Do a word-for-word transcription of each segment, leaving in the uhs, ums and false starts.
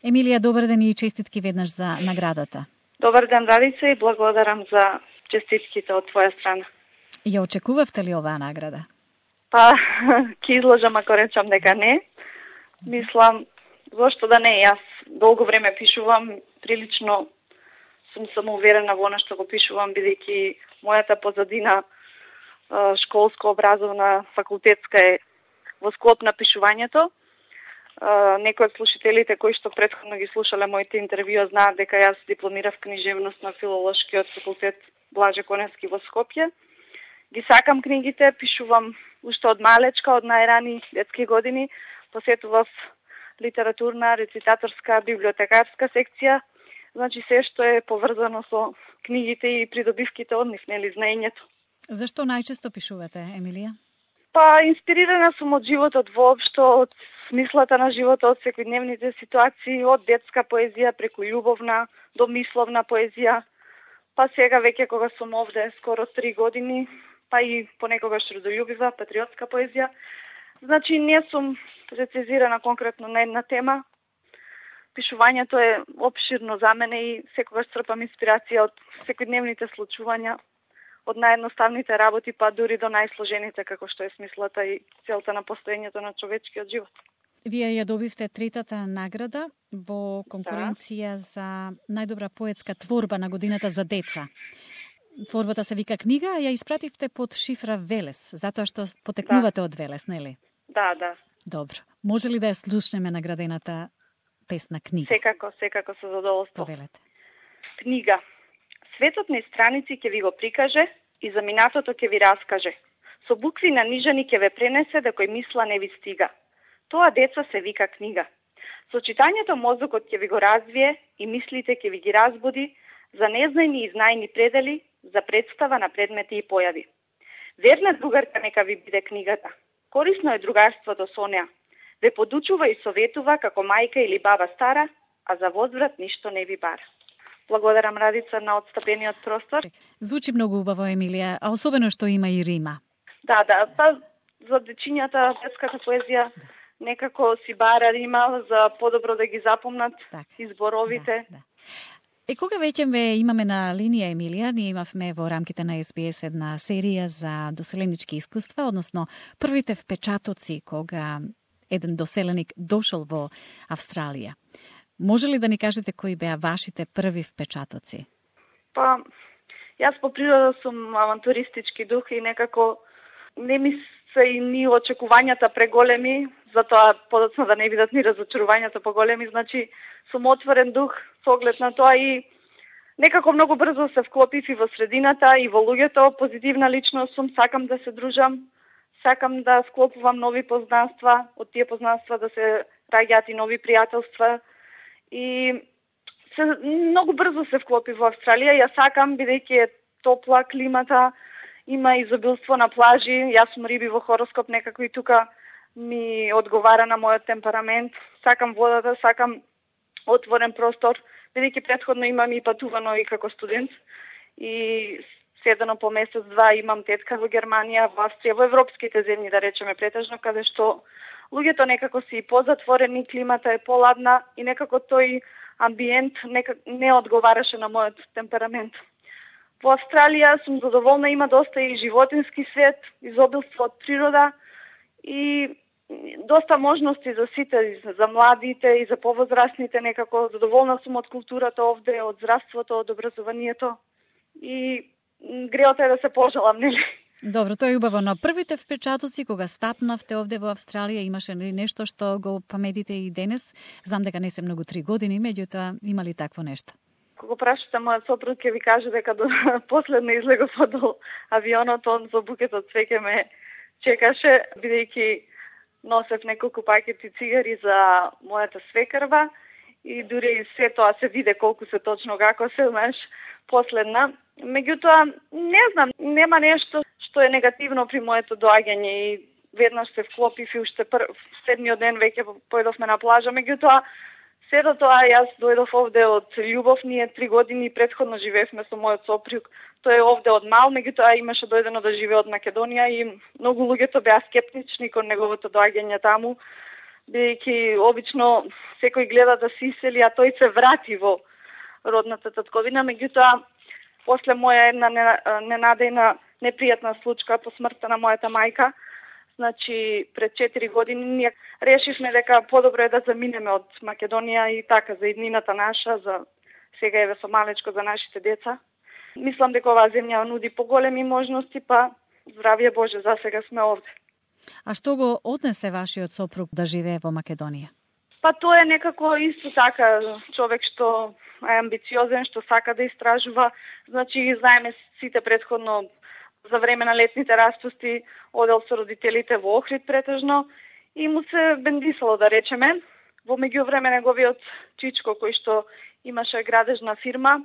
Емилија, добар ден и честитки веднаш за наградата. Добар ден, Радица, и благодарам за честитките од твоја страна. Ја очекувавте ли оваа награда? Па, ќе изложам ако речам дека не. Мислам, зошто да не, јас долго време пишувам, прилично сум самоуверена во она што го пишувам, бидејќи мојата позадина школско, образовна, факултетска е во склоп на пишувањето. Некои од слушателите кои што претходно ги слушале моите интервјуа знаат дека јас дипломирав книжевност на филолошкиот факултет Блаже Коневски во Скопје. Ги сакам книгите, пишувам уште од малечка, од најрани детски години, посетував литературна, рецитаторска, библиотекарска секција, значи се што е поврзано со книгите и придобивките од нив, нели, знаењето. Зашто најчесто пишувате, Емилија? Па, инспирирана сум од животот воопшто, од смислата на животот, од секојдневните ситуации, од детска поезија преку љубовна до мисловна поезија, па сега веќе кога сум овде скоро три години, па и понекогаш родолюбива, патриотска поезија. Значи, не сум прецизирана конкретно на една тема. Пишувањето е опширно за мене и секогаш црпам инспирација од секојдневните случувања, од наједноставните работи, па дури до најсложените, како што е смислата и целта на постоењето на човечкиот живот. Вие ја добивте третата награда во конкуренција да. за најдобра поетска творба на годината за деца. Творбата се вика книга, ја испративте под шифра Велес, затоа што потекнувате да. од Велес, нели? Да, да. Добро. Може ли да ја слушнеме наградената песна книга? Секако, секако со задоволство. Повелете. Книга. Светот низ страници ќе ви го прикаже и за минатото ќе ви раскаже. Со букви на нижани ќе ве пренесе да кој мисла не ви стига. Тоа, деца, се вика книга. Со читањето мозокот ќе ви го развие и мислите ќе ви ги разбуди за незнајни и знајни предели, за представа на предмети и појави. Верна другарка нека ви биде книгата. Корисно е другарството со неа. Ве подучува и советува како мајка или баба стара, а за возврат ништо не ви бара. Благодарам, Радица, на отстапениот простор. Звучи многу убаво, Емилија, а особено што има и рима. Да, да, па за дечињата детската поезија некако си бара рима за подобро да ги запомнат так, изборовите. Да, да. Е, кога веќе ме имаме на линија, Емилија, ние имавме во рамките на Ес Би Ес една серија за доселенички искуства, односно првите впечатоци кога еден доселеник дошол во Австралија. Може ли да ни кажете кои беа вашите први впечатоци? Па, јас по природа сум авантуристички дух и некако не ми се и ни очекувањата преголеми, затоа подоцна да не бидат ни разочарувањата поголеми, значи сум отворен дух со оглед на тоа и некако многу брзо се вклопив и во средината и во луѓето, позитивна личност сум, сакам да се дружам, сакам да склопувам нови познанства, од тие познанства да се раѓаат и нови пријателства и се, многу брзо се вклопив во Австралија. Ја сакам, бидејќи е топла климата, има изобилство на плажи, јас сум риби во хороскоп, некако и тука ми одговара на мојот темперамент. Сакам водата, сакам отворен простор, бидејќи претходно имам и патувано и како студент и седено по месец-два имам тетка во Германија, во Австрија, во европските земји, да речеме претежно, каде што луѓето некако си позатворени, климата е поладна и некако тој амбиент некак не одговараше на мојот темперамент. Во Австралија сум задоволна, има доста и животински свет, изобилство од природа и доста можности за сите, за младите и за повозрастните, некако задоволна сум од културата овде, од здравството, од образованието и греото е да се пожелам, нели? Добро, тоа е убаво, но првите впечатоци кога стапнавте овде во Австралија имаше нешто што го паметите и денес? Знам дека не се многу три години, меѓутоа има ли такво нешто? Кога прашате мојот сопруг ќе ви каже дека до последно излегов од авионот, он со букет од цвеќе ме чекаше, бидејќи носев неколку пакети цигари за мојата свекрва и дури се тоа се виде колку се точно како се, знаеш, последна. Меѓутоа, не знам, нема нешто што е негативно при моето доаѓање и веднаш се вклопив и уште пр... седмиот ден веќе појдовме на плажа, меѓутоа се до тоа јас дојдов овде од љубов, ние три години претходно живеевме со мојот сопруг. Тој е овде од мал, меѓутоа имаше дојдено да живее од Македонија и многу луѓето беа скептични кон неговото доаѓање таму. бидејќи обично секој гледа да се исели, а тој се врати во родната татковина. Меѓутоа, после моја една ненадејна непријатна случка по смртта на мојата мајка, значи пред четири години ние решивме дека подобро е да заминеме од Македонија и така за иднината наша, за сега еве со малечко за нашите деца. Мислам дека оваа земја нуди поголеми можности, па здравје Боже, за сега сме овде. А што го однесе вашиот сопруг да живее во Македонија? Па тоа е некако исто така човек што е амбициозен, што сака да истражува. Значи, знаеме сите претходно за време на летните распусти одел со родителите во Охрид претежно и му се бендисало, да речеме. Во меѓувреме неговиот чичко, кој што имаше градежна фирма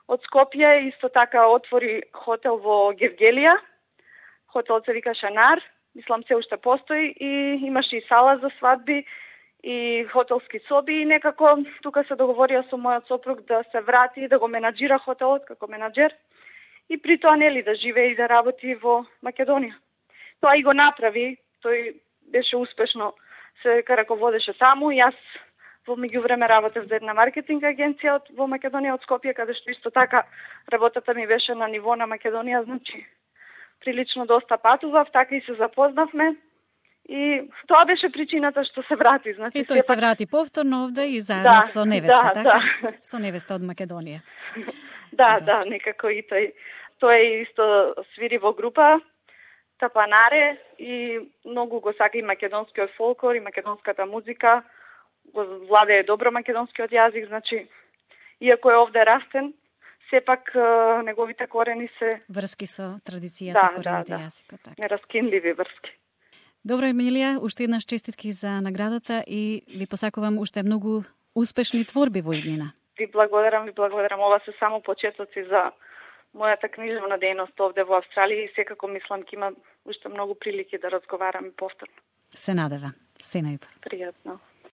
од Скопје, исто така отвори хотел во Гевгелија. Хотелот се вика Шанар, мислам се уште постои, и имаше и сала за свадби и хотелски соби, и некако тука се договорија со мојот сопруг да се врати и да го менаџира хотелот како менаџер и при тоа нели да живее и да работи во Македонија. Тоа и го направи, тој беше успешно, се раководеше таму, и јас во меѓувреме работев за една маркетинг агенција од, во Македонија од Скопје, каде што исто така работата ми беше на ниво на Македонија, значи прилично доста патував, така и се запознавме. И тоа беше причината што се врати. Значи, и тој се врати повторно овде и заедно да, со невеста, да, така? Да. Со невеста од Македонија. Да, да, некако и тој. Тој исто свири во група Тапанаре и многу го сака и македонскиот фолклор и македонската музика. Го владее добро македонскиот јазик, значи, иако е овде растен, сепак неговите корени се врски со традицијата, да, корените да, да. јазикот, така. Нераскинливи врски. Добро, Емилија, уште еднаш честитки за наградата и ви посакувам уште многу успешни творби во иднина. Ви благодарам, ви благодарам. Ова се само почетоци за мојата книжевна дејност овде во Австралија и секако мислам ќе има уште многу прилики да разговараме повторно. Се надева. Се најубаво. Пријатно.